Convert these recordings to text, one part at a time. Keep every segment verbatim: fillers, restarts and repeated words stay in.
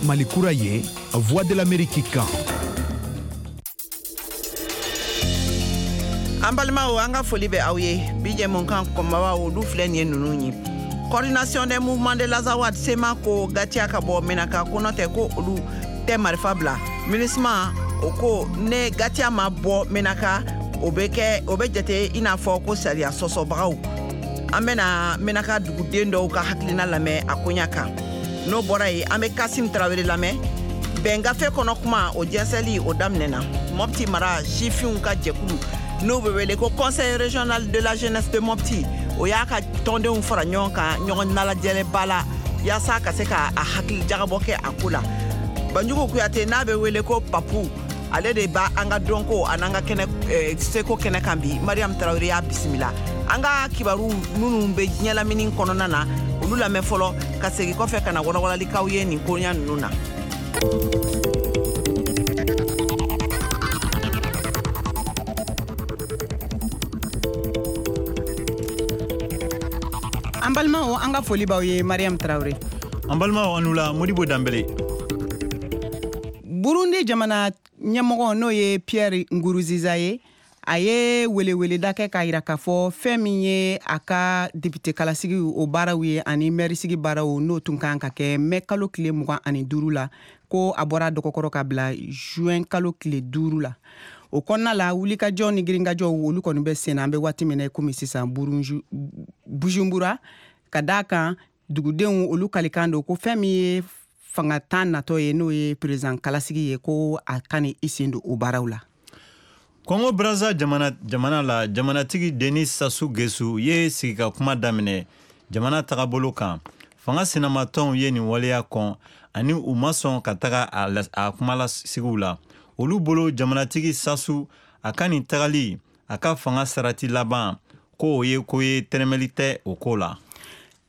Mali kura ye, Voix de l'Amérique kan. An balimaw, an ka foli bɛ aw ye. Bi jɛmukan kɔnbabaw, olu filɛ nin ye ninnu ye: Coordination des mouvements de l'Azawad, C M A, ko GATIA ka bɔ Menaka, ko nɔ tɛ ko olu tɛ marifa bila. MINUSMA, o ko ne GATIA ma bɔ Menaka, o bɛ kɛ, o bɛ jate i n'a fɔ ko sariya sɔsɔbagaw. An bɛna Menaka duguden dɔw ka hakilina lamɛn a koɲa kan. N'o bɔra yen, an bɛ Kasim Tarawele lamɛn. Bɛn gafe kɔnɔ kuma, o jɛnsɛli o daminɛna. Mɔpti mara sifinw ka jɛkulu, n'o bɛ wele ko Conseil régional de la jeunesse de Mopti, o y'a ka tɔndenw fara ɲɔgɔn kan ɲɔgɔn nalajɛlɛba la, yaasa ka se ka a hakili jagabɔ kɛ a ko la. Banjugu Kuyate, n'a bɛ wele ko Papu, ale de b'a an ka dɔnko a n'an ka kɛnɛ eh, seko kɛnɛ kan bi. Mariam Tarawele y'a bisimila. An ka kibaru minnu bɛ diɲɛ lamini kɔnɔna na, olu lamɛn fɔlɔ, ka segin kɔfɛ ka na walawalali ye nin koɲa ninnu na. An balimaw, an ka foli b'aw ye. Mariam Tarawele. An balimaw, an la Modibo Danbele. Burundi jamana ɲɛmɔgɔ, n'o ye Pierre Nkurunziza ye, a ye weleweleda kɛ k'a yira k'a fɔ fɛn min ye a ka député kalasigi o baaraw ye ani mɛrisigi baaraw, n'o tun kan ka kɛ mɛ kalo tile mugan ani duuru la, ko a bɔra dɔgɔkɔrɔ ka bila juin kalo tile duuru la. O kɔnɔna la, wulikajɔ ni girinkajɔw, olu kɔni bɛ sen na an bɛ waati min na komi sisan Bujumbura, ka d'a kan dugudenw olu kalikan don ko fɛn min ye fanga tan natɔ ye, n'o ye président kalasigi ye, ko a ka ni i sen don o baaraw la. Kongo Braza jamana, jamana la, jamanatigi Denis Sassou Nguesso ye sigi ka kuma daminɛ jamana tagabolo kan. Fanga sinamatɔnw ye nin waleya kɔn ani u ma sɔn ka taga a, a kumalasigiw la. Olu bolo, jamanatigi Sassou a ka nin tagali a ka fanga sarati laban, ko o ye ko ye, tɛrɛmɛli tɛ o ko la.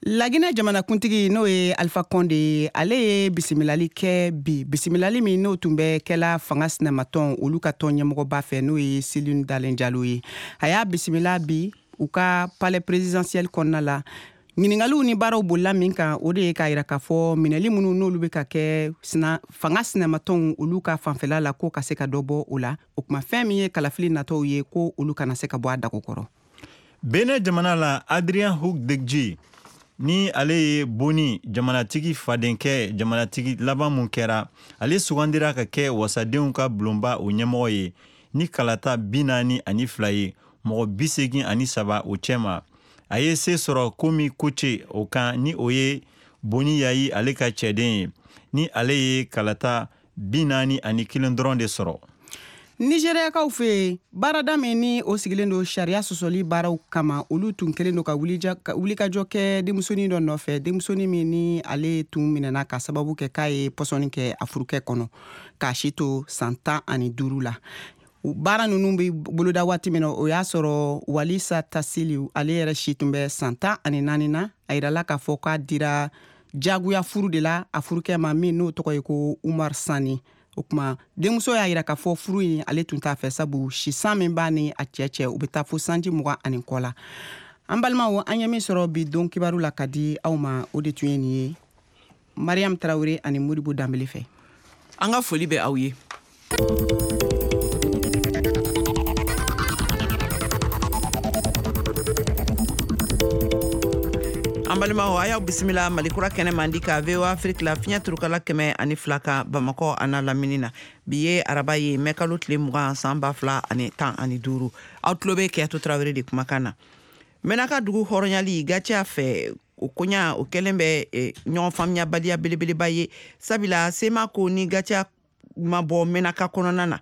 Laginɛ jamanakuntigi, n'o ye Alpha Conde ye, ale ye bisimilali kɛ bi, bisimilali min n'o tun bɛ kɛla fanga sinamatɔn olu ka tɔn ɲɛmɔgɔba fɛ, n'o ye Cellou Dalein Diallo ye. A y'a bisimila bi u ka palais présidentiel kɔnɔna la. Ɲiningaliw ni baaraw bolila min kan, o de ye k'a yira k'a fɔ minɛli minnu n'olu bɛ ka kɛ sina, fanga sinamatɔnw olu ka fanfɛla la, ko ka se ka dɔ bɔ o la. O kuma, fɛn min ye kalafili natɔw ye, ko olu kana se ka bɔ a dago kɔrɔ. Benin jamana la, Adrien Houdekdji, ni ale ye Boni jamanatigi fadenkɛ, jamanatigi laban mun kɛra, ale sugandira ka kɛ wasadenw ka bulonba o ɲɛmɔgɔ ye ni kalata bi naani ani fila ye, mɔgɔ bi segin ani saba o cɛma. A ye se sɔrɔ Komi Koce o kan, ni o ye Boni Yayi ale ka cɛden ye, ni ale ye kalata bi naani ani kelen dɔrɔn de sɔrɔ. Nigériakaw fɛ yen, baarada min ni o sigilen don sariya sɔsɔli baaraw kama, olu tun kɛlen don ka wulikajɔ kɛ denmusonin dɔ nɔfɛ, denmusonin min ni ale tun minɛna ka sababu kɛ k'a ye pɔsɔni kɛ a furukɛ kɔnɔ k'a si to san tan ani duuru la. Baara ninnu bɛ boloda waati min na, o y'a sɔrɔ Walisa Tasili, ale yɛrɛ si tun bɛ san tan ani naani na. A yirala k'a fɔ k'a dira jagoya furu de la a furukɛ ma, min n'o tɔgɔ ye ko Umar Sani. O kuma, denmuso y'a yira k'a fɔ furu in, ale tun t'a fɛ, sabu sisan min b'a ni a cɛ cɛ, u bɛ taa fo sanji mugan ani kɔ la. An balimaw, an ye min sɔrɔ bi don kibaru la ka di aw ma, o de tun ye nin ye, Mariam Tarawele ani Modibo Danbele fɛ. An ka foli bɛ aw ye. An balimaw, a y'aw bisimila Malikura kɛnɛ mandi ka V O A Afrique la, fiɲɛ turukala kɛmɛ ani fila kan, Bamakɔ a n'a lamini na. Bi ye araba ye, mɛ kalo tile mugan, san ba fila ani tan ani duuru. Aw tulo bɛ Kɛyatu Tarawele de kumakan na. Mɛnaka dugu hɔrɔnyali GATIA fɛ, o koɲa o kɛlen bɛ ɲɔgɔn faamuyabaliya belebeleba ye, sabula C M A ko ni GATIA ma bɔ Mɛnaka kɔnɔna na,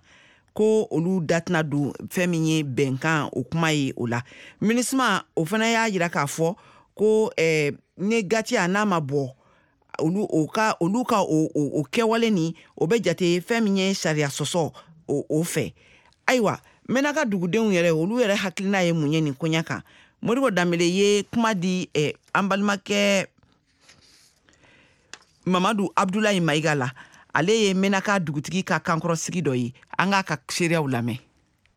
ko olu da tɛna don fɛn min ye bɛnkan o kuma ye o la. MINUSMA, o fana y'a yira k'a fɔ ko eh, ni GATIA n'a ma bɔ, olu o ka olu ka o, o, o kɛwale nin, o bɛ jate fɛn min ye sariya sɔsɔ o, o fɛ. Ayiwa, Mɛnaka dugudenw yɛrɛ, olu yɛrɛ hakilina ye mun ye nin koɲa kan? Modibo Danbele ye kuma di eh, an balimakɛ Mamadu Abdulayi Mayiga la. Ale ye Mɛnaka dugutigi ka kankɔrɔsigi dɔ ye. An k'a ka seereyaw lamɛn.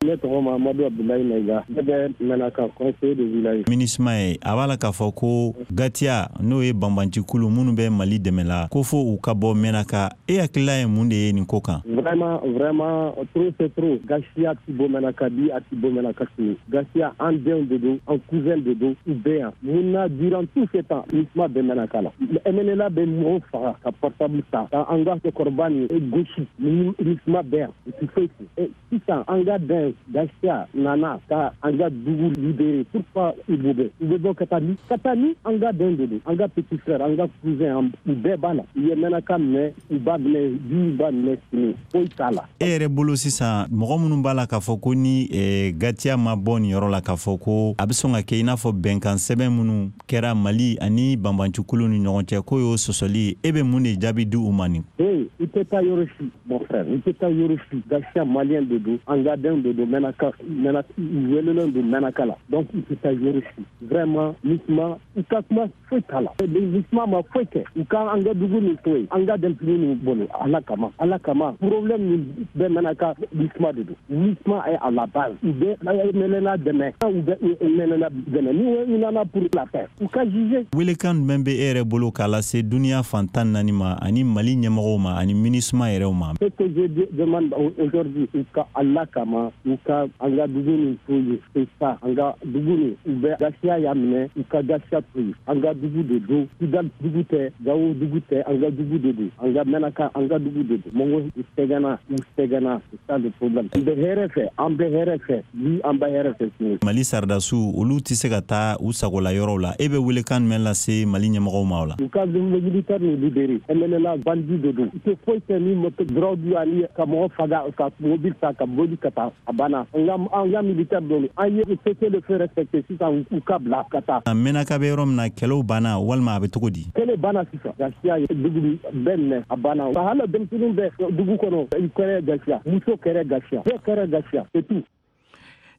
Ne tɔgɔ Mahamadu Abdoulaye Maïga, ne bɛ Menaka conseiller de village. MINUSMA ye a b'a la k'a fɔ ko Gatiya n'o ye banbancikulu minnu bɛ Mali dɛmɛ la ko fo u ka bɔ Menaka. E hakilila ye mun de ye nin ko kan? Vraiment, vraiment, trop c'est trop. Gatiya ti bɔ Menaka bi, a ti bɔ Menaka sini. Gatiya an denw de don, an cousin de don, u bɛ yan. Mun na durant tout ce temps MINUSMA bɛ Menaka la? M N L A bɛ mɔgɔw faga ka portable ta, ka an ka cɛkɔrɔba nin gosi, MINUSMA bɛ yan, u ti foyi fɔ. Sisan an ka den Gatiya nana ka an ka dugu libérer. Pourquoi u b'o bɛ? U bɛ bɔ ka taa ni ka taa ni an ka den de don, an ka petit frère, an ka cousin, u bɛɛ b'a la. U ye Menaka minɛ, u b'a minɛ bi, u b'a minɛ sini, foyi t'a la. E yɛrɛ bolo sisan, mɔgɔ minnu b'a la k'a fɔ ko ni eh, Gatiya ma bɔ nin yɔrɔ la, k'a fɔ ko a bɛ sɔn ka kɛ i n'a fɔ bɛnkan sɛbɛn minnu kɛra Mali ani banbancikulu ni ɲɔgɔn cɛ, k'o y'o sɔsɔli ye, e bɛ mun de jaabi di u ma nin? Hey, i tɛ taa yɔrɔ si, mon frère, i tɛ taa yɔrɔ si. Gatiya malien de don, an ka den de don, Menaka, Menaka, u welelen don Menaka la. Donc i tɛ taa yɔrɔ si. Vraiment, MINUSMA, u ka kuma foyi t'a la. MINUSMA ma foyi kɛ. U ka an ka dugu nin to yen, an ka denmisɛnnin ninnu bolo. Ala kama, Ala kama, problème min bɛ Menaka, MINUSMA de don. MINUSMA est à la base. U bɛ M N L A dɛmɛ, u bɛ M N L A dɛmɛ. Ni u nana pour la paix, u ka juger. Welekan jumɛn bɛ e yɛrɛ bolo k'a lase duniya fan tan naani ma ani Mali ɲɛmɔgɔw ma ani MINUSMA yɛrɛw ma? Ce que je demande aujourd'hui, u ka Ala kama, u ka an ka dugu nin to yen, c'est ça. An ka dugu nin, u bɛ Gatiya y'a minɛ, u ka Gatiya to yen. An ka dugu de don, Kidal dugu tɛ, Gawo dugu tɛ, an ka dugu de don. An ka Menaka, an ka dugu de don. Mɔgɔ u sɛgɛnna, u sɛgɛnna, c'est ça le problème. An bɛ hɛrɛ fɛ, an bɛ hɛrɛ fɛ bi, an bɛ hɛrɛ fɛ sini. Mali sɔrɔdasiw, olu tɛ se ka taa u sagola yɔrɔw la. E bɛ welekan jumɛn lase Mali ɲɛmɔgɔw ma o la? U ka militaire nin libérer. M N L A bandit de don, u tɛ foyi kɛ ni moto drogue ani ka mɔgɔ faga, ka mobili ta ka boli ka taa, a banna. An ka an ka militaire don, an ye cessez-le-feu respecté, sisan u ka bila ka taa. A Menaka bɛ yɔrɔ min na, kɛlɛw banna walima a bɛ cogo di? Kɛlɛ banna sisan. Gatiya ye dugu bɛɛ minɛ, a banna. Hali denmisɛnninw bɛ dugu kɔnɔ, i kɛrɛ Gatiya, muso kɛrɛ Gatiya, bɛɛ kɛrɛ Gatiya, c'est tout.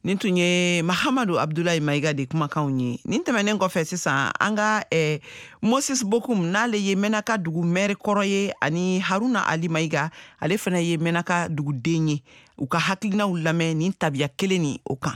Nin tun ye Mahamadu Abdulayi Mayiga de kumakanw ye. Nin tɛmɛnen kɔfɛ, sisan an ka eh, Moses Bokum, n'ale ye Menaka dugu mɛri kɔrɔ ye, ani Haruna Ali Mayiga, ale fana ye Menaka duguden ye, u ka hakilinaw lamɛn nin tabiya kelen nin o kan.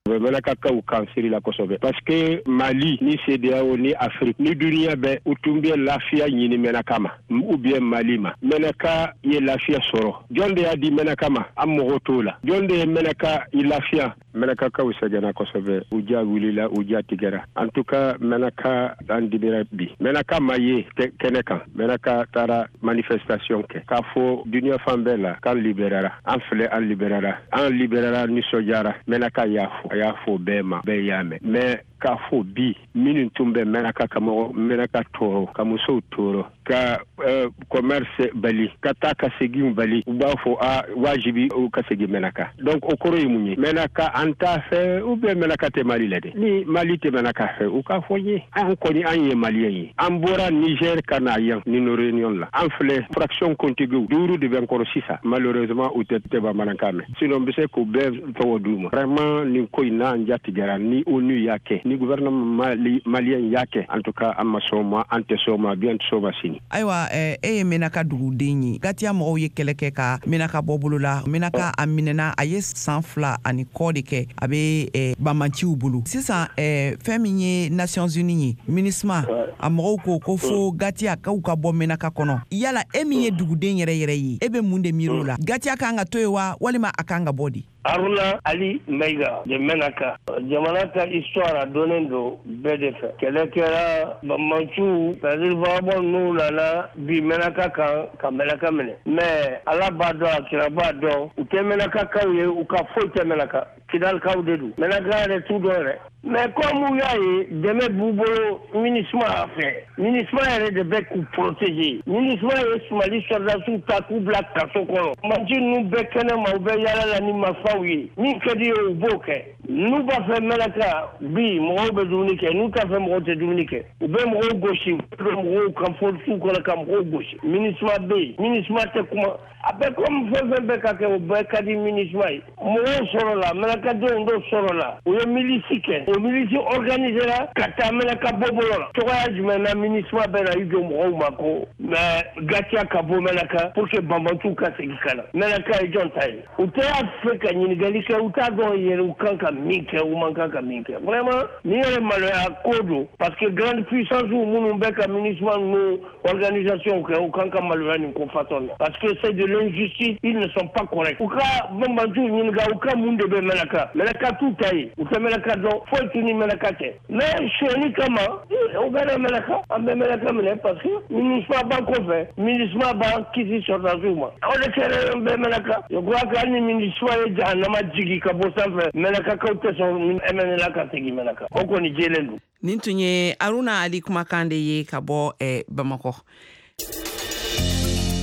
U bɛ Mɛnakakaw kan siri la kosɛbɛ, parce que Mali ni CEDEAO ni Afrique ni duniya bɛɛ, u tun bɛ lafiya ɲini Mɛnaka ma ou bien Mali ma. Mɛnaka ye lafiya sɔrɔ, jɔn de y'a di Mɛnaka ma? An mɔgɔ t'o la. Jɔn de ye Mɛnaka i lafiya? Mɛnakakaw sɛgɛnna kosɛbɛ, u ja wulila, u ja tigɛra. En tout cas, Mɛnaka an dibira bi. Mɛnaka ma ye kɛnɛ kan. Mɛnaka taara manifestation kɛ k'a fɔ duniya fan bɛɛ la k'an libérera. An filɛ, an libérera, an libérera, nisɔndiyara. Mɛnaka y'a fɔ, a y'a fɔ bɛɛ ma, bɛɛ y'a mɛn. Mais k'a fɔ bi, minnu tun bɛ Mɛnaka ka mɔgɔ Mɛnaka tɔɔrɔ, ka musow tɔɔrɔ, ka uh, commerce bali, ka taa ka segin bali, u b'a fɔ a wajibi u ka segin Mɛnaka. Donc o kɔrɔ ye mun ye? Mɛnaka an t'a fɛ ou bien Mɛnaka tɛ Mali la de? Ni Mali tɛ Mɛnaka fɛ, u k'a fɔ n ye. An kɔni, an ye malien ye, an bɔra Niger ka na yan ni no réunion la. An filɛ, fraction kuntigiw duuru de bɛ n kɔrɔ sisan. Malheureusement, u tɛ tɛ bamanankan mɛn, sinon n bɛ se k'u bɛɛ tɔgɔ d'u ma. Vraiment, nin ko in n'an jatigɛra, ni ONU y'a kɛ, ni gouvernement mali malien y'a kɛ, en tout cas an ma sɔn ma, an tɛ sɔn ma bi, an tɛ sɔn ma sini. Ayiwa, e ye Menaka duguden ye. Gatiya mɔgɔw ye kɛlɛ kɛ ka Menaka bɔ bolo la. Menaka a minɛna, a ye san fila ani kɔ de kɛ, a bɛ banbanciw bolo. Sisan, fɛn min ye Nations Unies ye, MINUSMA a mɔgɔw ko ko fo Gatiya k'u ka bɔ Menaka kɔnɔ. Yala e min ye duguden yɛrɛ yɛrɛ ye, e bɛ mun de miiri o la? Gatiya kan ka to yen wa, walima a kan ka bɔ di? Haruna Ali Mayiga de Menaka. Jamana ka histoire a dɔnnen don bɛɛ de fɛ. Kɛlɛ kɛra, banbanciw, c'est-à-dire vagabond ninnu nana bi Menaka kan ka Menaka minɛ. Mais Ala b'a dɔn, a kira b'a dɔn, u tɛ Menakakaw ye, u ka foyi tɛ Menaka. Kidalikaw de don. Menaka yɛrɛ t'u dɔn yɛrɛ. Mais comme u y'a ye dɛmɛ b'u bolo MINUSMA fɛ, MINUSMA yɛrɛ de bɛ k'u protéger. MINUSMA ye Mali sɔrɔdasiw ta k'u bila kaso kɔnɔ. Banbaanci ninnu bɛɛ kɛnɛ ma, u bɛ yaala la ni marifaw ye. Min ka di ye, u b'o kɛ. N'u b'a fɛ Menaka bi, mɔgɔw bɛ dumuni kɛ, n'u t'a fɛ, mɔgɔw tɛ dumuni kɛ. U bɛ mɔgɔw gosi, u bɛ mɔgɔw kan forces kɔnɔ ka mɔgɔw gosi. MINUSMA bɛ yen, MINUSMA tɛ kuma. A bɛ comme fɛn fɛn bɛ ka kɛ, o bɛɛ ka di MINUSMA ye. Mɔgɔw sɔrɔla, Menakadenw dɔw sɔrɔla, u ye milice kɛ. O milice organisé la ka taa Mɛnaka bɔbolo la. Cogoya jumɛn na MINUSMA bɛ na i jɔ mɔgɔw ma ko mais Gatia ka bɔ Mɛnaka pour que banbantu ka segin ka na? Mɛnaka ye jɔn ta ye? U tɛ y'a fɛ ka ɲininkali kɛ, u t'a dɔn yɛrɛ u kan ka min kɛ, u man kan ka min kɛ. Vraiment, nin yɛrɛ maloya ko don, parce que grande puissance minnu bɛ ka MINUSMA ninnu organisation kɛ, u kan ka maloya nin ko façon na, parce que c'est de l'injustice, ils ne sont pas corrects. U ka banbantu ɲininka u ka mun de bɛ Mɛnaka. Mɛnaka t'u ta ye, u tɛ Mɛnaka dɔn, foyi t'u ni Mɛnaka cɛ. Mais sonyɛli kama u bɛ na Mɛnaka, an bɛ Mɛnaka minɛ, parce que MINUSMA b'an kɔfɛ, MINUSMA b'an kisi sɔrɔdasiw ma. O de kɛra bɛ Mɛnaka. Je crois que hali ni MINUSMA ye jahanama jigi ka bɔ sanfɛ, Mɛnakakaw tɛ sɔn M N L A ka segin Mɛnaka. O kɔni jɛlen don. Nin tun ye Aruna Ali kumakan de ye ka bɔ eh, Bamakɔ.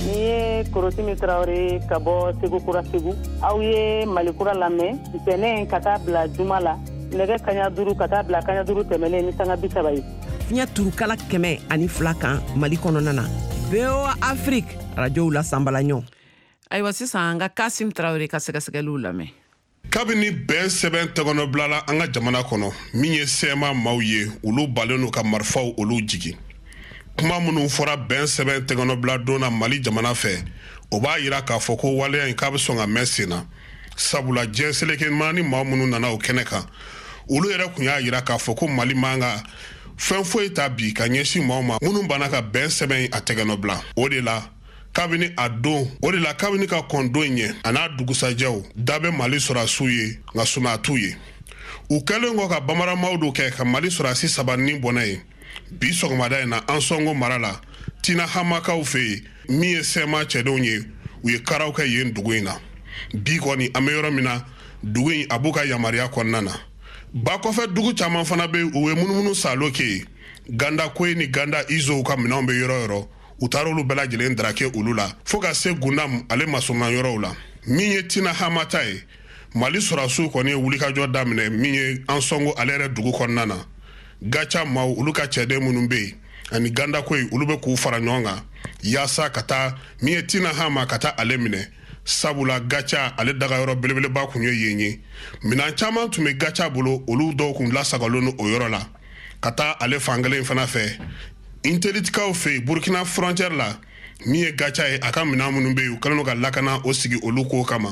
Ni ye Korotimi Tarawele ka bɔ Segu Kura, Segu. Aw ye Malikura lamɛn ntɛnɛn ka taa bila juma la, nɛgɛ kaɲa duuru ka taa bila kaɲa duuru tɛmɛnen ni sanga bi saba ye. Fiɲɛ turukala kɛmɛ ani fila kan Mali kɔnɔna na, V O A Afrique, arajow la sanbala ɲɔ. Ayiwa, sisan an ka Kasim Tarawele ka sɛgɛsɛgɛliw lamɛn. Kabini bɛn sɛbɛn tɛgɔnɔbilala an ka jamana kɔnɔ, min ye C M A maaw ye, olu balen n'u ka marifaw olu jigi. Kuma minnu fɔra bɛn sɛbɛn tɛgɔnɔbila don na Mali jamana fɛ, o b'a yira k'a fɔ ko waleya in k'a bɛ sɔn ka mɛn sen na, sabula diɲɛ seleke ni maa minnu nana o kɛnɛ kan, olu yɛrɛ tun y'a yira k'a fɔ ko Mali man ka fɛn foyi ta bi ka ɲɛsin maaw ma minnu banna ka bɛn sɛbɛn a tɛgɛnɔbila. O de la kabini a don, o de la kabini ka kɔn don in ɲɛ a n'a dugusajɛw da bɛ Mali sɔrɔdasiw ye, nka suma t'u ye. U kɛlen kɔ ka bamaramaw do kɛ ka Mali sɔrɔdasi saba ni bɔnɛ ye bi sɔgɔmada in na Ansɔngo mara la, Tina Hamakaw fɛ yen, min ye C M A cɛdenw ye, u ye karaw kɛ yen dugu in na. Bi kɔni, an bɛ yɔrɔ min na, dugu in a b'u ka yamaruya kɔnɔna na. Ba kɔfɛ dugu caman fana bɛ, u ye munumunu salo kɛ yen. Ganda koyi ni ganda izow ka minɛnw bɛ yɔrɔ yɔrɔ, u taara olu bɛɛ lajɛlen darake olu la fɔɔ ka se Gundam ale masurunna yɔrɔw la. Min ye Tina Hamata ye, Mali sɔrɔdasiw kɔni ye wulikajɔ daminɛ min ye Ansɔngo ale yɛrɛ dugu kɔnɔna na. Gaca maaw, olu ka cɛden minnu bɛ yen ani gandako ye, olu bɛ k'u fara ɲɔgɔn kan yaasa ka taa min ye Tina Hama, ka taa ale minɛ, sabula Gaca ale dagayɔrɔ belebeleba kun ye yen ye. Minan caman tun bɛ Gaca bolo, olu dɔw kun lasagalen don o yɔrɔ la. Ka taa ale fankelen fana fɛ, Intelitikaw fɛ yen, Burukina frontière la, min ye Gaca ye, a ka minɛn minnu bɛ yen, u kɛlen don ka lakana o sigi olu ko kama,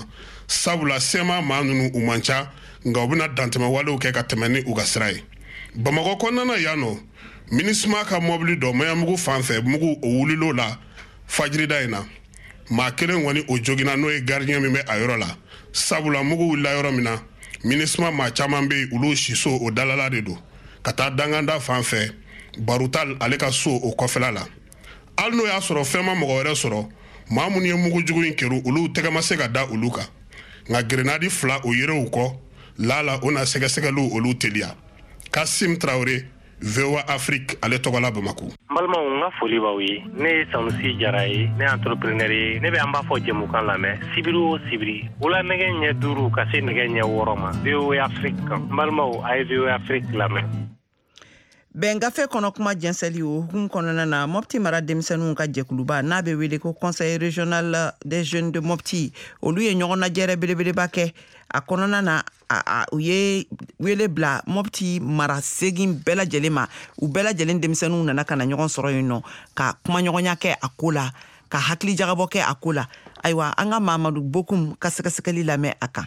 sabula C M A maa ninnu u man ca, nka u bɛna dantɛmɛ walew kɛ ka tɛmɛ ni u ka sira ye. Bamakɔ kɔnɔna na yan nɔ, MINUSMA ka mɔbili dɔ Maɲanbugu fan fɛ, mugu o wulil'o la fajirida in na. Maa kelen kɔni o joginna, n'o ye gardien min bɛ a yɔrɔ la, sabula mugu wulila yɔrɔ min na, MINUSMA maa caman bɛ yen, olu siso o dalala de don ka taa danganda fan fɛ, Barutal ale ka so o kɔfɛla la. Hali n'o y'a sɔrɔ fɛn ma mɔgɔ wɛrɛ sɔrɔ, maa minnu ye mugujugu in kɛru, olu tɛgɛ ma se ka da olu kan, nka grenade fila o yerew kɔ lala, o na sɛgɛsɛgɛliw olu teliya. Kasim Tarawele, V O A Afrique ale tɔgɔla, Bamako. N balimaw, n ka foli b'aw ye. Ne ye Sanusi Jara ye, ne ye entrepreneur ye. Ne bɛ an b'a fɔ jɛmukan lamɛn sibiri o sibiri, wula nɛgɛ ɲɛ duuru ka se nɛgɛ ɲɛ wɔɔrɔ ma, V O A Afrique kan. N balimaw, a ye V O A Afrique lamɛn. Bɛn gafe kɔnɔ kuma jɛnsɛli, o hukumu kɔnɔna na, Mɔpti mara denmisɛnninw ka jɛkuluba n'a bɛ wele ko Conseil régional des jeunes de Mopti, olu ye ɲɔgɔn lajɛrɛ belebeleba kɛ. A kɔnɔna na, a, a, u ye wele bila Mɔpti mara segin bɛɛ lajɛlen ma. U bɛɛ lajɛlen denmisɛnninw nana ka na ɲɔgɔn sɔrɔ yen nɔ ka kumaɲɔgɔnya kɛ a ko la, ka hakili jagabɔ kɛ a ko la. Ayiwa, an ka Mamadu Bokum ka sɛgɛsɛgɛli lamɛn a kan.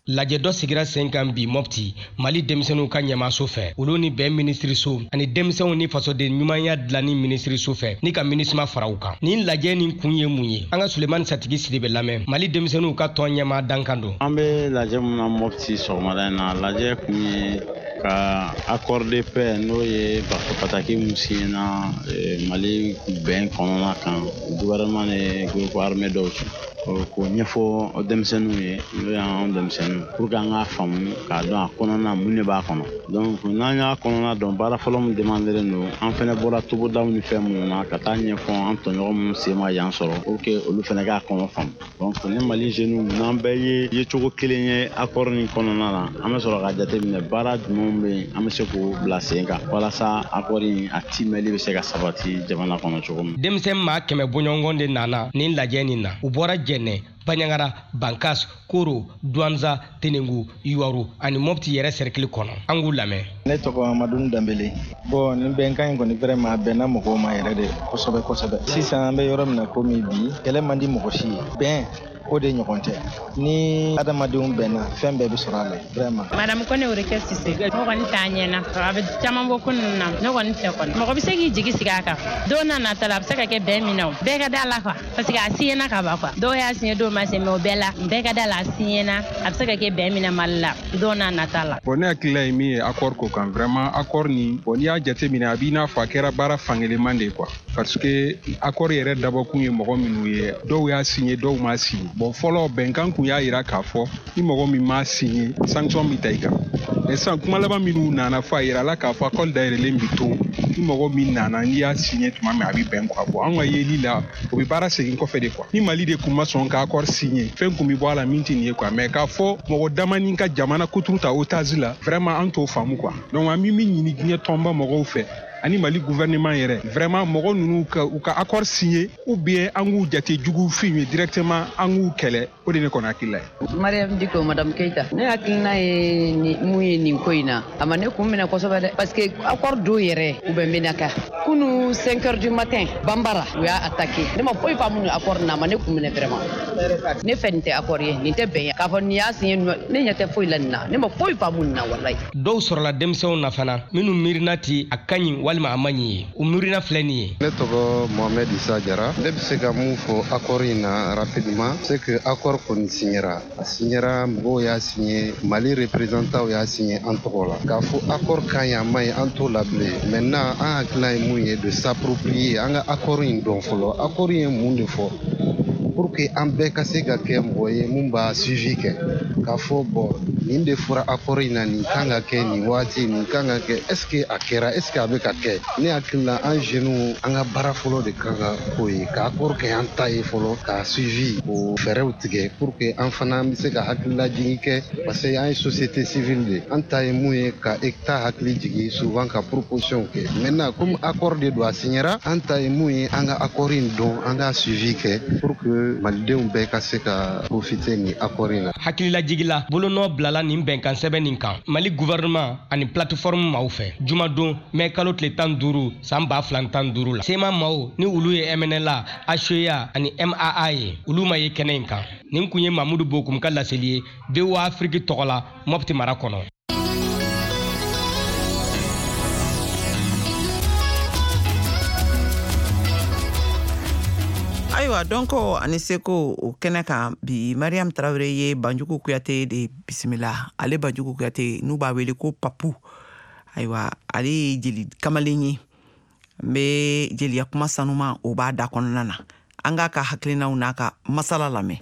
Lajɛ dɔ sigira sen kan bi Mɔpti, Mali denmisɛnninw ka ɲɛmaso fɛ, olu ni bɛn minisiriso ani denmisɛnw ni fasoden ɲumanya dilanni minisiriso fɛ, ni ka MINUSMA fara u kan. Nin lajɛ nin kun ye mun ye? An ka Sulemani Satigi Siribe lamɛn, Mali denmisɛnninw ka tɔn ɲɛma dankan don. An bɛ lajɛ mun na Mɔpti sɔgɔmada in na, lajɛ kun ye ka accord de paix, n'o ye pataki mun signena Mali bɛn kɔnɔna kan, gouvernement ni groupe armé dɔw cɛ, k'o ɲɛfɔ denmisɛnninw ye, n'o y'an denmisɛnninw, pour que an k'a faamu k'a dɔn a kɔnɔna mun de b'a kɔnɔ. Donc n'an y'a kɔnɔna dɔn, baara fɔlɔ min demandelen don, an fɛnɛ bɔra togodaw ni fɛn minnu na ka taa ɲɛfɔ an tɔɲɔgɔn minnu sen ma yan sɔrɔ, pour que olu fɛnɛ k'a kɔnɔ faamu. Donc ni Mali jeunes n'an bɛɛ ye yecogo kelen ye accord nin kɔnɔna na, an bɛ sɔrɔ ka jateminɛ baara jumɛnw bɛ yen, an bɛ se k'o bila sen kan walasa accord in a timɛli bɛ se ka sabati jamana kɔnɔ cogo min. Denmisɛn maa kɛmɛ bɔɲɔgɔn de nana nin lajɛ nin na. U bɔra Jɛnɛ. Bandiagara, Bankas, Koro, Douentza, Tenengu, Youwarou ani Mopti yɛrɛ cercle kɔnɔ. An k'u lamɛn. Ne tɔgɔ Amadou Dambele. Bon, nin bɛnkan in kɔni vraiment a bɛnna mɔgɔw ma yɛrɛ de kosɛbɛ kosɛbɛ. Sisan an bɛ yɔrɔ min na komi bi, kɛlɛ man di mɔgɔ si ye. Bɛn o de ɲɔgɔn tɛ. Ni adamadenw bɛnna, fɛn bɛɛ bɛ sɔrɔ a la vraiment. Madame Kone Oreke Sise, ne kɔni t'a ɲɛna. A bɛ caman bɔ ko ninnu na, ne kɔni fɛ kɔni. Mɔgɔ bɛ se k'i jigi sigi a kan. Don n'a nata la, a bɛ se ka kɛ bɛn min na o. Bɛɛ ka da la quoi. Parce que a siɲɛna ka ban quoi. Dɔw y'a siɲɛ, dɔw ma siɲɛ, mais o bɛɛ la, bɛɛ ka da la, a siɲɛna. A bɛ se ka kɛ bɛn min na Mali la, don n'a nata la. Bon, ne hakilila ye min ye accord ko kan, vraiment accord nin, bon, n'i y'a jateminɛ a b'i n'a fɔ a kɛra baara fankelen de ye quoi. Parce que accord yɛrɛ dabɔkun ye mɔgɔ minnu ye, dɔw y'a signé, dɔw m'a signé. Bon, fɔlɔ bɛnkan kun y'a yira k'a fɔ ni mɔgɔ min m'a signé, sanction bɛ ta i kan. Mais sisan kuma laban minnu nana fɔ, a yira la k'a fɔ accord dayɛlɛlen bɛ to, ni mɔgɔ min nana n'i y'a signé tuma min a bɛ bɛn quoi. Bon, an ka yeli la, o bɛ baara segin kɔfɛ de quoi. Ni Mali de kun ma sɔn ka accord signé, fɛn kun bɛ bɔ a la min tɛ nin ye quoi. Mais k'a fɔ mɔgɔ damani ka jamana kuturu ta otage la, vraiment an t'o faamu quoi. Donc an bɛ min ɲini diɲɛ tɔnba mɔgɔw fɛ ani Mali gouvernement yɛrɛ, vraiment mɔgɔ ninnu ka u ka accord signé ou bien an k'u jate jugu fin ye directement, an k'u kɛlɛ. O de ne kɔni hakilila ye. Mariam Diko, Madame Keita, ne hakilina ye ni mun ye nin ko in na, a ma ne kun minɛ kosɛbɛ dɛ, parce que accord dɔw yɛrɛ u bɛ Menaka kunu cinq heures du matin, Bambara u y'a attaqué. Ne ma foyi faamu nin accord na, a ma ne kun minɛ vraiment. Ne fɛ nin tɛ accord ye, nin tɛ bɛn ye k'a fɔ nin y'a signé, ne ɲɛ tɛ foyi la nin na, ne ma foyi faamu nin na walayi. Dɔw sɔrɔla denmisɛnw na fana minnu miirina ti a ka ɲi walima a man ɲi ye, u miirina filɛ nin ye. Ne tɔgɔ Mohamed Issa Jara. Ne bɛ se ka mun fɔ accord in na rapidement, c'est que accord kɔni signera, a signera, mɔgɔw y'a signé, Mali représentant y'a signé an tɔgɔ la. K'a fɔ accord ka ɲi a man ɲi, an t'o la bilen. Maintenant an hakilina ye mun ye, de s'approprier an ka accord in dɔn fɔlɔ. Accord in ye mun de fɔ pour que an bɛɛ ka se ka kɛ mɔgɔ ye mun b'a suivi kɛ, k'a fɔ bon nin de fɔra accord in na, nin kan ka kɛ nin waati, nin kan ka kɛ, est ce que a kɛra, est ce que a bɛ ka kɛ. Ne hakili la an jeunes an ka baara fɔlɔ de kan ka k'o ye, ka accord kɛ an ta ye fɔlɔ, k'a suivi, k'o fɛɛrɛw tigɛ pour que an fana bɛ se ka hakililajigin kɛ, parce que an ye société civile de, an ta ye mun ye ka État hakili jigin souvent, ka proposition kɛ. Maintenant comme accord de don, a signera, an ta ye mun ye an ka accord in dɔn, an ka suivi kɛ pour que malidenw bɛɛ ka se ka profiter nin accord in na. Hakililajigila bolonɔ bilala nin bɛnkan sɛbɛn nin kan Mali gouvernement ani plateforme maaw fɛ jumadon mɛ kalo tile tan duuru san ba fila tan duuru la. CMA maaw ni olu ye M N L A, H E A ani M A A ye, olu ma ye kɛnɛ in kan. Nin kun ye Mamudu Bokum ka laseli ye V O A Afrique tɔgɔ la Mopti mara kɔnɔ. Ayiwa, dɔnko ani seko o kɛnɛ kan bi, Mariam Traoré ye Banjugu Kuyate de bisimila. Ale Banjugu Kuyate n'u b'a wele ko Papu. Ayiwa, ale ye jeli kamalen ye, n bɛ jeliya kuma sanuma o b'a da kɔnɔna na. An k'a ka hakilinaw n'a ka masala lamɛn.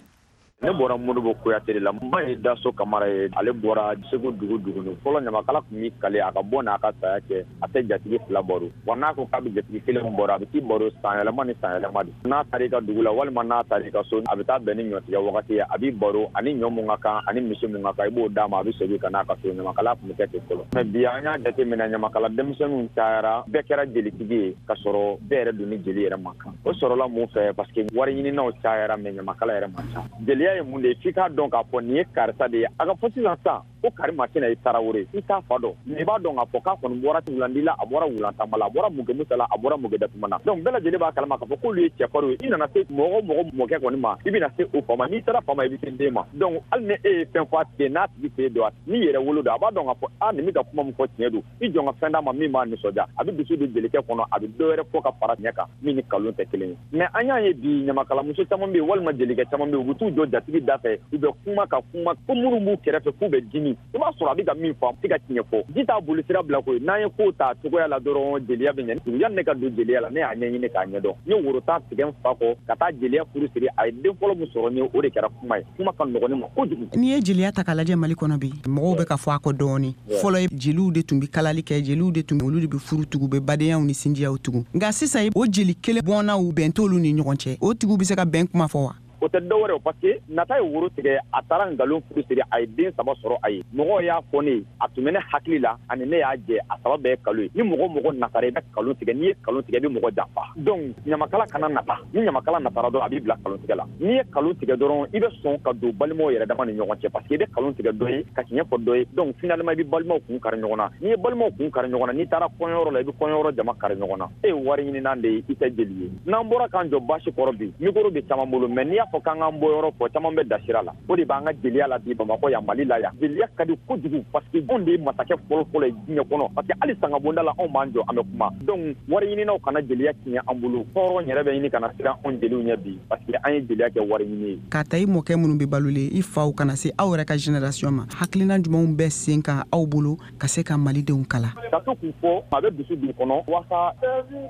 Ne bɔra Modibo Kuyate de la. N ba ye Daso Kamara ye, ale bɔra Segu dugu duguni fɔlɔ. Ɲamakala tun b'i kale a ka bɔ n'a ka saya cɛ, a tɛ jatigi fila baro wa. N'a ko k'a bɛ jatigi kelen baro, a bɛ t'i baro sanyɛlɛma ni sanyɛlɛma de. N'a taara i ka dugu la walima n'a taara i ka so, a bɛ taa bɛn ni ɲɔtigɛ wagati ye, a b'i baro ani ɲɔ mun ka kan ani misi mun ka kan, i b'o d'a ma, a bɛ segin ka n'a ka so. Ɲamakala tun bɛ kɛ ten fɔlɔ. Mais bi an y'a jateminɛ, ɲamakala denmisɛnninw cayara, bɛɛ kɛra jelitigi ye ka sɔrɔ bɛɛ yɛrɛ dun ni jeli yɛrɛ man kan. O sɔrɔla mun fɛ? Parce que wari ɲininaw cayara, mais ɲamakala yɛrɛ man ca. Jeliya ye mun de ye? F'i k'a dɔn k'a fɔ nin ye karisa de ye. A ka fɔ sisan sisan ko karimasina ye Tarawele, i t'a fa dɔn, mais i b'a dɔn k'a fɔ k'a kɔni bɔra wulandi la, a bɔra wulantama la, a bɔra Mugemusa la, a bɔra Mugedatuma na. Donc bɛɛ lajɛlen b'a kalama k'a fɔ k'olu ye cɛfarinw ye. I nana se mɔgɔ mɔgɔ mɔkɛ kɔni ma, i bɛna se o fa ma. N'i sera fa ma, i bɛ se den ma. Donc hali ni e ye fɛn fɔ a tigi ye, n'a tigi t'e dɔn, n'i yɛrɛ wolo don, a b'a dɔn k'a fɔ a nin bɛ ka kuma min fɔ tiɲɛ don. I jɔn ka fɛn d'a ma min b'a nisɔndiya, a bɛ dusu don jelikɛ kɔnɔ, a bɛ dɔ wɛrɛ fɔ ka fara tiɲɛ kan min ni nkalon tɛ kelen ye. Mais an y'a ye bi ɲamakalamuso caman bɛ yen walima jelikɛ caman bɛ yen, u bɛ t'u jɔ jatigi da fɛ, u bɛ kuma ka kuma ko minnu b'u kɛrɛfɛ k'u bɛ dimi. I b'a sɔrɔ a bɛ ka min fɔ, a tɛ ka tiɲɛ fɔ. Ji t'a boli sira bila koyi. N'an ye ko ta cogoya la dɔrɔn, jeliya bɛ ɲɛ. Yanni ne ka don jeliya la, ne y'a ɲɛɲini k'a ɲɛdɔn. N ye woro tan tigɛ n fa kɔ ka taa jeliya furu siri. A ye den fɔlɔ min sɔrɔ n ye, o de kɛra kuma ye. Kuma ka nɔgɔn ne ma kojugu. N'i ye jeliya ta k'a lajɛ Mali kɔnɔ bi, mɔgɔw bɛ ka fɔ a kɔ dɔɔni. Fɔlɔ jeliw de tun bɛ kalali kɛ, jeliw de tun olu de bɛ furu tugu, bɛ badenyaw ni sinjiyaw tugu. Nka sisan o jeli kelen bɔnnaw bɛn t'olu ni ɲɔgɔn cɛ. O tigiw bɛ se ka bɛn kuma fɔ wa? O tɛ dɔwɛrɛ ye parce que nata ye woro tigɛ, a taara nkalon furu siri, a ye den saba sɔrɔ a ye. Mɔgɔw y'a fɔ ne ye, a tun bɛ ne hakili la ani ne y'a jɛ, a saba bɛɛ ye nkalon ye. Ni mɔgɔ mɔgɔ natara, i bɛ nkalon tigɛ. N'i ye nkalon tigɛ, i bɛ mɔgɔ janfa. Donc ɲamakala kana nata. Ni ɲamakala natara dɔrɔn, a b'i bila nkalon tigɛ la. N'i ye nkalon tigɛ dɔrɔn, i bɛ sɔn ka don balimaw yɛrɛ dama ni ɲɔgɔn cɛ, parce que i bɛ nkalon tigɛ dɔ ye ka tiɲɛ fɔ dɔ ye. Donc finalement i bɛ balimaw kun kari ɲɔgɔn na. N'i ye balimaw kun kari ɲɔgɔn na, n'i taara kɔɲɔyɔrɔ la, i bɛ kɔɲɔyɔrɔ jama kari ɲɔgɔn na. E ye wari ɲininan de ye, i tɛ jeli ye. N'an bɔra k'an jɔ basi kɔrɔ bi, micro bɛ caman bolo, mais n'i y'a fɔ k'an k'an bɔ yɔrɔ fɔ, caman bɛ da sira la. O de b'an ka jeliya la bi Bamakɔ yan, Mali la yan. Jeliya ka di kojugu parce que anw de ye masakɛ fɔlɔ-fɔlɔ ye diɲɛ kɔnɔ, parce que hali sangabonda la anw b'an jɔ, an bɛ kuma. Donc wari ɲininaw kana jeliya tiɲɛ an bolo. Hɔrɔn yɛrɛ bɛ ɲini ka na siran anw jeliw ɲɛ bi, parce que an ye jeliya kɛ wari ɲini ye. K'a ta i mɔkɛ minnu bɛ balolen, i faw kana se aw yɛrɛ ka génération ma, hakilina jumɛnw bɛ sen kan aw bolo ka se ka malidenw kala? Ka to k'u fɔ, a bɛ dusu don kɔnɔ walasa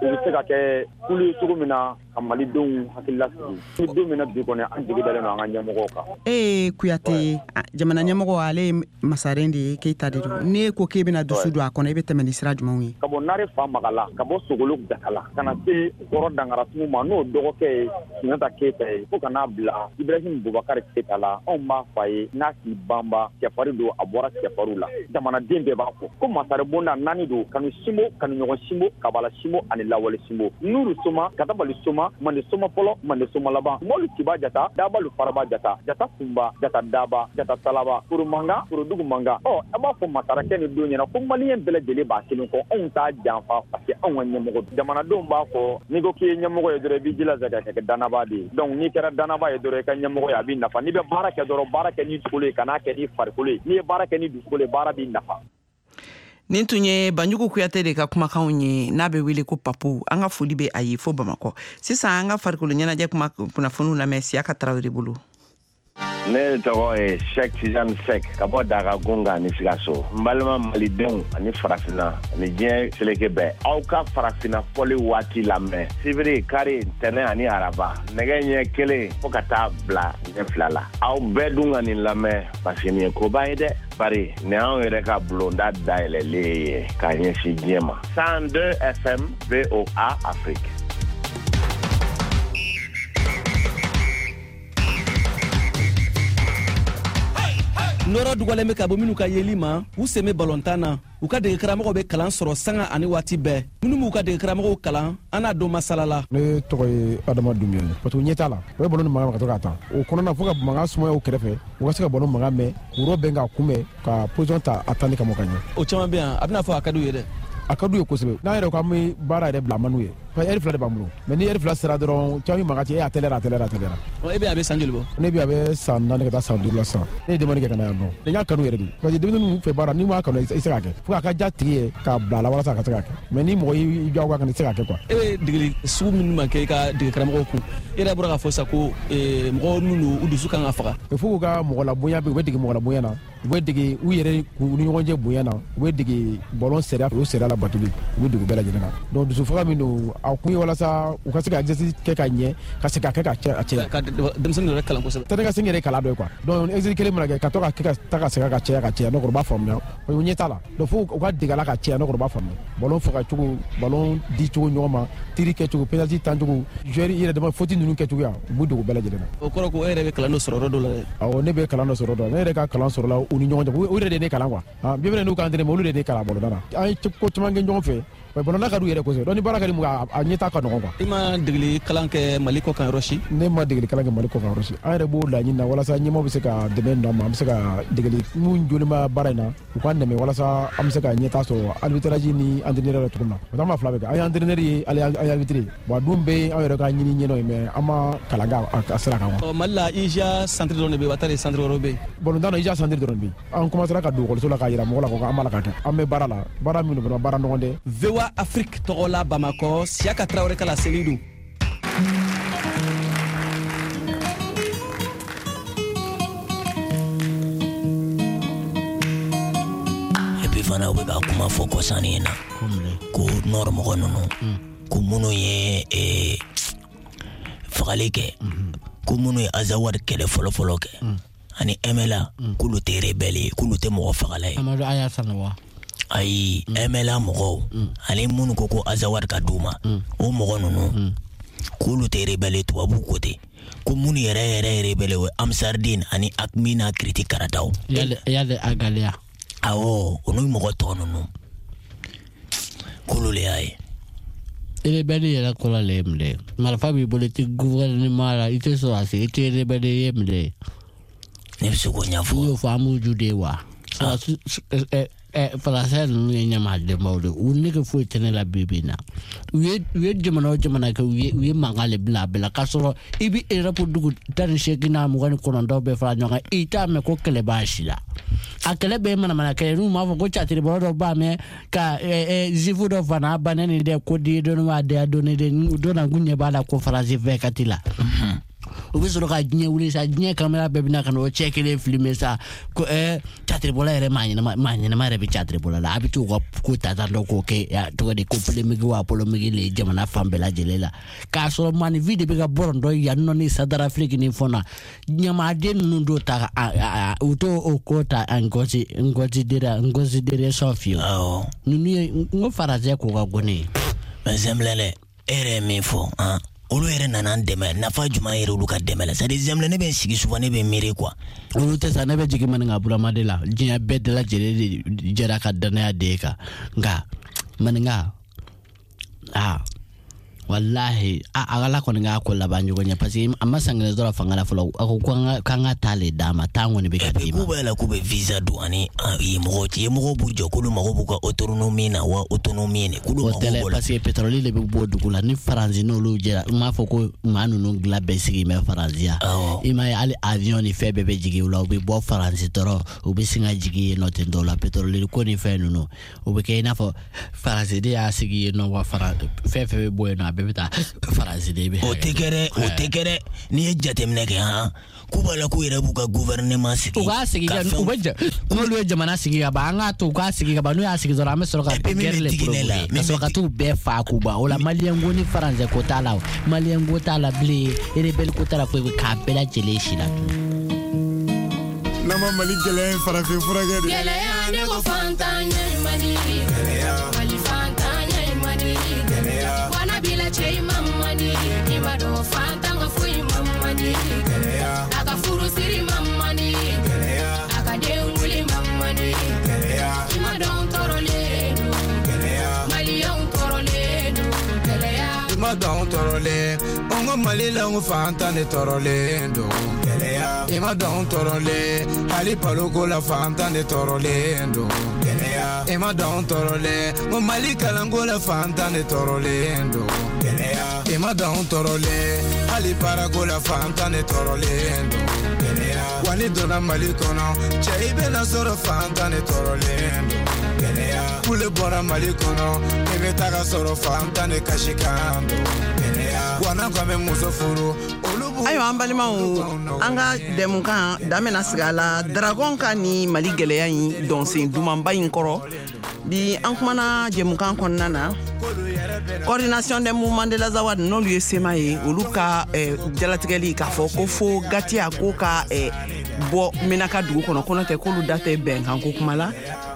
u bɛ se ka kɛ kulu ye cogo min na ka malidenw hakili lasigi. Ni don min na bi kɔni, an jigi dalen don an ka ɲɛmɔgɔw kan. E ye Kuyate, jamana ɲɛmɔgɔ, ale ye masaren de ye, Keyita de don. N'e ko k'e bɛna dusu don a kɔnɔ, i bɛ tɛmɛ ni sira jumɛnw ye? Ka bɔ Nare fa Magala, ka bɔ Sogolo Jakala, ka na se Kɔrɔ Dangaratumu ma, n'o dɔgɔkɛ ye Sunjata Keyita ye, fo ka n'a bila Ibrahim Bubakari Keyita la. Anw b'a fa ye n'a k'i banba cɛfarin don, a bɔra cɛfarinw la. Jamanaden bɛɛ b'a fɔ ko masare bonda naani don: kanu sinbo, kanu ɲɔgɔn sinbo, kabala sinbo ani lawale sinbo. Nuru soma, katabali soma, mande soma fɔlɔ, mande soma laban, mɔlu kiba jata, dabalu faraba jata, jata kunba, jata daba, jata talaba, foro mankan, foro dugu mankan. Ɔ, a b'a fɔ masarakɛ ni don ɲɛna ko maliyɛn bɛɛ lajɛlen b'a kelen kɔ, anw t'a janfa parce que anw ka ɲɛmɔgɔ. Jamanadenw b'a fɔ n'i ko k'i ye ɲɛmɔgɔ ye dɔrɔn, i b'i jilaja ka kɛ danaba de ye. Donc n'i kɛra danaba ye dɔrɔn, i ka ɲɛmɔgɔ ye, a b'i nafa. N'i bɛ baara kɛ dɔrɔn, baara kɛ ni dusukolo ye, kan'a kɛ ni farikolo ye. N'i ye baara kɛ ni dusukolo ye, baara b'i nafa. Nin tun ye Banjugu Kuyate de ka kumakanw ye, n'a bɛ wele ko Papu. An ka foli bɛ a ye fo Bamakɔ. Sisan an ka farikolo ɲɛnajɛ kuma kunnafoniw lamɛn Siyaka Tarawele bolo. Ne tɔgɔ ye Sɛk Tijani Sɛk ka bɔ Daga Gunga ni Sikaso. N balima malidenw ani farafinna ani diɲɛ seleke bɛɛ, aw ka farafinna fɔli waati lamɛn sibiri, kari, ntɛnɛn ani araba, nɛgɛ ɲɛ kelen fo ka taa bila ɲɛ fila la. Aw bɛɛ dun ka nin lamɛn parce que nin ye koba ye dɛ. Bari nin y'anw yɛrɛ ka bulonda dayɛlɛlen ye k'a ɲɛsin diɲɛ ma. cent deux F M V O A Afrique. Nɔrɔ dugalen bɛ ka bɔ minnu ka yeli ma, u sen bɛ balontan na. U ka degekaramɔgɔw bɛ kalan sɔrɔ sanga ani waati bɛɛ. Minnu b'u ka degekaramɔgɔw kalan, an n'a don masala la. Ne tɔgɔ ye Adama Dunbiya ye. Parce que ɲɛ t'a la, u bɛ balon ni mankan ka to k'a ta. O kɔnɔna fo ka mankan sumaya u kɛrɛfɛ, u ka se ka balon mankan mɛn, k'u yɔrɔ bɛn k'a kunbɛn, ka position ta a tanni kama ka ɲɛ. O caman bɛ yan, a bɛna fɔ a ka d'u ye dɛ. A ka d'u ye kosɛbɛ. N'an yɛrɛ ko an bɛ baara yɛrɛ bila a man d'u ye. Parce que ɛri fila de b'an bolo. Mais ni ɛri fila sera dɔrɔn, caman bɛ mankan ci, e a tɛlɛra, a tɛlɛra, a tɛlɛra. E bɛ a bɛ san joli bɔ? Ne bɛ a bɛ san naani ka taa san duuru la sisan. Ne ye demande kɛ ka na yan nɔ. Ne y'a kanu yɛrɛ de. Parce que denmisɛnninw fɛ baara, n'i m'a kanu, i tɛ se k'a kɛ. Fo a ka diya tigi ye k'a bila a la walasa a ka se k'a kɛ. Mais ni mɔgɔ y'i diyagoya kan, i tɛ se k'a kɛ quoi. E bɛ degeli sugu minnu ma kɛ i ka degekaramɔgɔw kun, e yɛrɛ bɔra k'a fɔ sisan ko mɔgɔ minnu u dusu kan ka faga. Il faut k'u ka mɔgɔlabonya bɛ, u bɛ dege mɔgɔlabonya na, u bɛ dege u yɛrɛ k'u ni ɲɔgɔn cɛ bonya na, u bɛ dege ballon sariya, o sariya labatoli, u bɛ dege bɛɛ lajɛlen na. Donc dusu faga min don, a kun ye walasa u ka se ka exercice kɛ ka ɲɛ, ka se ka kɛ ka cɛ a cɛ. Ka denmisɛnnin yɛrɛ kalan kosɛbɛ. Taa ni ka segin yɛrɛ kalan dɔ ye quoi. Donc exercice kelen mana kɛ, ka to ka kɛ ka taa ka segin ka caya ka caya, n'o kɔrɔ u b'a faamuya. U ɲɛ t'a la. Donc fo u ka dege a la ka caya, n'o kɔrɔ u b'a faamuya. Ballon faga cogo, ballon di cogo ɲɔgɔn ma, tir kɛ cogo, penalty tan cogo, joueur i yɛrɛ dama faute ninnu kɛ cogoya, u b'u dege o bɛɛ lajɛlen na. O kɔrɔ ko e yɛrɛ bɛ kalan dɔ sɔrɔ yɔrɔ dɔ la dɛ. Awɔ, ne bɛ kalan dɔ sɔrɔ dɔ la. Ne yɛrɛ ka kalan sɔrɔ la u ni ɲɔgɔn cɛ. U yɛrɛ de ye ne kalan quoi. Ah, bien vrai n'u ka entraînement, olu de ye ne kalan ballon na. An ye ko caman kɛ ɲɔgɔn fɛ. Mais ballon ka d'u yɛrɛ kosɛbɛ. Donc ni baara ka di mun a ɲɛ t'a ka nɔgɔn quoi. I ma degeli kalan kɛ Mali kɔ kan yɔrɔ si? Ne ma degeli kalan kɛ Mali kɔ kan yɔrɔ si. An yɛrɛ b'o laɲini na walasa ɲɛmaaw bɛ se ka dɛmɛ don an ma, an bɛ se ka degeli mun joli ma baara in na, u k'an dɛmɛ walasa an bɛ se ka ɲɛtaa sɔrɔ arbitrage ni entraîneur la cogo min na. Parce que an b'a fila bɛɛ kɛ. An ye entraîneur ye, an ye arbitre ye. Bon a dun bɛɛ an yɛrɛ ka ɲini ɲɛnɔ ye, mais an ma kalan kɛ a sira kan quoi. Ɔ Mali la I J A centre dɔrɔn de bɛ yen, wa taa centre wɛrɛw bɛ yen? Balontan na I J A centre dɔrɔn de bɛ yen. An commencera ka don ekɔliso la k'a yira mɔgɔ la ko an b'a la ka kɛ. An bɛ baara la, baara min don vraiment baara nɔgɔn tɛ. V O A Afrique tɔgɔ la Bamakɔ, Siyaka Tarawele ka laseli don. Et puis fana u bɛ ka kuma fɔ kɔsannin in na ko nord mɔgɔ ninnu, ko minnu ye fagali kɛ, ko minnu ye Azawad kɛlɛ fɔlɔ-fɔlɔ kɛ ani M L A, k'olu tɛ rebelle ye, k'olu tɛ mɔgɔ fagala ye. Amadu Aya Sanogo. Ayi, M L A mɔgɔw ani minnu ko ko Azawad ka d'u ma, o mɔgɔ ninnu K'olu tɛ rebelle tubabu ko ten, ko minnu yɛrɛ yɛrɛ ye rebelle o ye Amsardine ani Akmi n'a kiriti karataw. Yale Agalia. Awɔ, o n'u mɔgɔ tɔ ninnu k'olu le y'a ye. Rebelle yɛrɛ kɔrɔ le ye mun de ye? Marifa b'i bolo, i tɛ gouvernement la, i tɛ sɔrɔdasi, i tɛ rebelle ye mun de ye? Ne bɛ se k'o ɲɛfɔ. N'u y'o fɔ an b'u ju de ye wa? Sɔrɔdasi Faransɛ ninnu ye ɲamadenbaw de, u nege foyi tɛ ne la bi bi in na. U ye u ye jamana o jamana kɛ, u ye u ye mankan de bila a bɛɛ la, k'a sɔrɔ i bɛ Europe dugu tan ni seegin n'a mugan ni kɔnɔntɔn bɛɛ fara ɲɔgɔn kan, i t'a mɛn ko kɛlɛ b'a si la. A kɛlɛ bɛɛ ye manamana kɛlɛ, n'u m'a fɔ ko catiribɔla dɔ b'a mɛn ka zifu dɔ fana bannen nin dɛ, ko di dɔnni b'a de dɔnni de, u donna k'u ɲɛ b'a la ko Faransi fɛ ka ti la. U bɛ sɔrɔ ka diɲɛ wuli sa, diɲɛ kamera bɛɛ bɛna ka na o cɛ kelen filmer sa, ko ɛɛ catiribɔla yɛrɛ maa ɲɛnama maa ɲɛnama yɛrɛ bɛ catiribɔla la, a bɛ t'u ka ko ta ta dɔ k'o kɛ tɔgɔ de ko polémique wa polémique le jamana fan bɛɛ lajɛlen la, k'a sɔrɔ maninfin de bɛ ka bɔrɔntɔ yan nɔ ni Centrafrique ni fɛn na, ɲamaden ninnu t'o ta u t'o o ko ta en considération fiyewu. Awɔ. Ninnu ye n ko Faransɛ ko ka go ne ye. Mais Zɛnbilɛ dɛ, e yɛrɛ ye min fɔ han. Olu yɛrɛ nana an dɛmɛ, nafa jumɛn yɛrɛ olu ka dɛmɛ la? C'est à dire Zɛnbilɛ, ne bɛ n sigi souvent ne bɛ miiri quoi. Olu tɛ sa, ne bɛ jigin maninka burama de la, diɲɛ bɛɛ de lajɛlen de jɛra ka danaya de e kan, nka maninka aa walahi a ala kɔni k'a ko laban ɲɔgɔn ɲɛ, parce que a ma san kelen sɔrɔ fanga la fɔlɔ, a ko k'an ka taa le d'a ma, taa kɔni bɛ ka d'i ma. K'u b'a la k'u bɛ visa don ani yen mɔgɔw cɛ, yen mɔgɔw b'u jɔ k'olu mago b'u ka autonomie na wa autonomie ne k'olu mago b'o la. Parce que pétrole de bɛ bɔ dugu la ni Faransi n'olu jɛra, n m'a fɔ ko maa ninnu dilan bɛɛ sigi bɛ Faransi yan, i m'a ye hali avion ni fɛn bɛɛ bɛ jigin u la, u bɛ bɔ Faransi dɔrɔn u bɛ sin ka jigin yen nɔ ten tɔ la, pétrole ko ni fɛn ninnu u bɛ kɛ i n'a fɔ Faransi de y'a sigi yen nɔ wa fɛn fɛn bɛ bɔ yen nɔ a bɛɛ bɛ taa Faransi de bɛ. O tɛ kɛ dɛ, o tɛ kɛ dɛ, n'i ye jateminɛ kɛ han, k'u b'a la k'u yɛrɛ b'u ka gouvernement sigi. U k'a sigi ka u bɛ n'olu ye jamana sigi ka ban, an k'a to u k'a sigi ka ban, n'u y'a sigi dɔrɔn an bɛ sɔrɔ ka guerre le provoquer, ka sɔrɔ ka t'u bɛɛ fa k'u ban. O la maliyɛn ko ni Faransɛ ko t'a la, o maliyɛn ko t'a la bilen, rebelle ko t'a la, foyi k'a bɛɛ lajɛlen si la tun. N'an ma Mali gɛlɛya in farafin furakɛ de. Gɛlɛya ne ko fantanya in man di. Gɛlɛya. Mali fantanya in man di. Gɛlɛya. Wana bila cɛ in ma man di. I ma dɔn fantan ka foyi ma man di. Gɛlɛya. A ka furusiri ma man di. Gɛlɛya. A ka denwuli ma man di. Gɛlɛya. I ma dɔn tɔɔrɔlen don. Gɛlɛya. Maliyɛnw tɔɔrɔlen don. Gɛlɛya. I ma dɔn tɔɔrɔlen. An ka Mali la n ko fantan de tɔɔrɔlen don. Gɛlɛya. I ma dɔn tɔɔrɔlen. Hali baloko la fantan de tɔɔrɔlen don. Gɛlɛya. I ma dɔn tɔɔrɔlen. Ko Mali kalanko la fantan de tɔɔrɔlen don. Gɛlɛya. I ma dɔn tɔɔrɔlen. Hali baarako la fantan de tɔɔrɔlen don. Gɛlɛya. Wa ni donna Mali kɔnɔ, cɛ i bɛna sɔrɔ fantan de tɔɔrɔlen don. Gɛlɛya. Kule bɔra Mali kɔnɔ, i bɛ taga sɔrɔ fantan de kasikan don. Gɛlɛya. Wa n'an ko an bɛ muso furu, olu b'u. Ayiwa an balimaw, an ka dɛmɛkan dan bɛna sigi a la Dragon ka ni Mali gɛlɛya in dɔnsen dumanba in kɔrɔ. Bi an kumana jɛmukan kɔnɔna na, coordination des mouvements de l'Azawad n'olu ye sema ye, olu ka eh, jalatigɛli k'a fɔ ko fo Gatiya ko ka eh, bɔ Menaka dugu kɔnɔ, ko n'o tɛ k'olu da tɛ bɛnkan ko kuma la.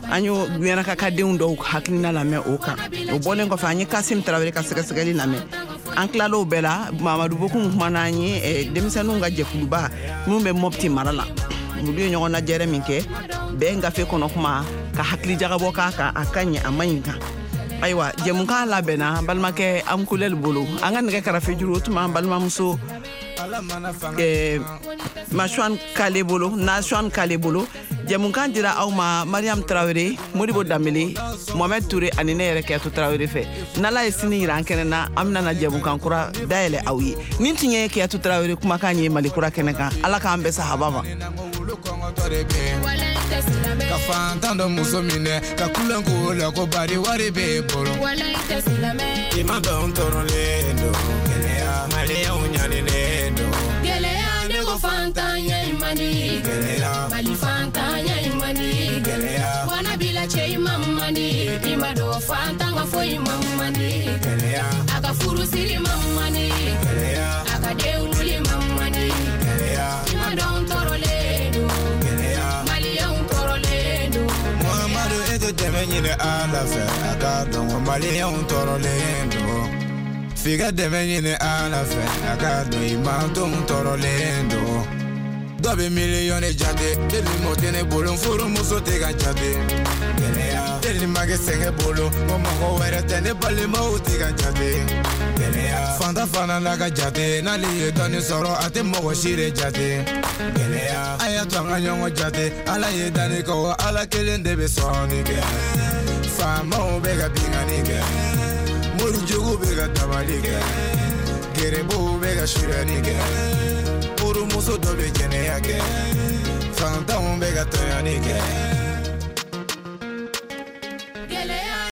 An y'o Menaka ka denw dɔw hakilina lamɛn o kan. O bɔlen kɔfɛ an ye Kasim Tarawele ka sɛgɛsɛgɛli lamɛn. An tilal'o bɛɛ la, Mamadu Bokum kumana an ye eh, denmisɛnninw ka jɛkuluba minnu bɛ Mopti mara la, olu ye ɲɔgɔn lajɛrɛ min kɛ bɛn gafe kɔnɔ kuma ka hakili jagabɔ k'a kan, a ka ɲi a man ɲi kan. Ayiwa jɛmukan labɛnna balimakɛ Ankulɛli bolo, an ka nɛgɛ karafe juru o tun b'an balimamuso eh, Masuan Kale bolo, Nasuan Kale bolo. Jɛmukan dira aw ma Mariam Tarawele, Modibo Danbele, Mohamed Touré ani ne yɛrɛ Kɛto Tarawele fɛ. N'Ala ye sini yira an kɛnɛ na, an bɛna na jɛmukan kura dayɛlɛ aw ye. Nin tun ye Kɛto Tarawele kumakan ye Mali kura kɛnɛ kan. Ala k'an bɛn sahaba ma. Ka fantan dɔ muso minɛ ka kulon k'o la ko bari wari b'e bolo. I ma dɔn tɔɔrɔlen don. Gɛlɛya. Maliyɛnw ɲaninen don. Gɛlɛya ne ko fantanya in man di. Gɛlɛya. Mali fantanya in man di. Gɛlɛya. Wana bila cɛ in ma man di. I ma dɔn fantan ka foyi ma man di. Gɛlɛya. A ka furusiri ma man di. Gɛlɛya. A ka denwuli ma man di. Gɛlɛya. I ma dɔn tɔɔrɔlen don. Gɛlɛya. Maliyɛnw tɔɔrɔlen don. Muhamadu e tɛ dɛmɛ ɲini Ala fɛ, a k'a dɔn ko maliyɛnw tɔɔrɔlen don. F'i ka dɛmɛ ɲini Ala fɛ a k'a dɔn i mantonw tɔɔrɔlen don. Dɔ bɛ miliyɔn de jate, teli mɔ tɛ ne bolo, n furumuso tɛ ka jate. Gɛlɛya, teli ma kɛ sɛgɛn bolo, ko mɔgɔ wɛrɛ tɛ ne balimaw tɛ ka jate. Gɛlɛya, fanta fana n'a ka jate, n'ale ye dɔɔni sɔrɔ a tɛ mɔgɔ si de jate. Gɛlɛya, a y'a to an ka ɲɔgɔn jate, Ala ye danni kɛ wa Ala kelen de bɛ sɔnni kɛ. Faamaw bɛ ka binkanni kɛ, morijugu bɛ ka dabali kɛ, gerebuw bɛ ka suyɛnni kɛ. Furumuso dɔ bɛ jɛnɛya kɛ, fantanw bɛ ka tɔɲɔni kɛ.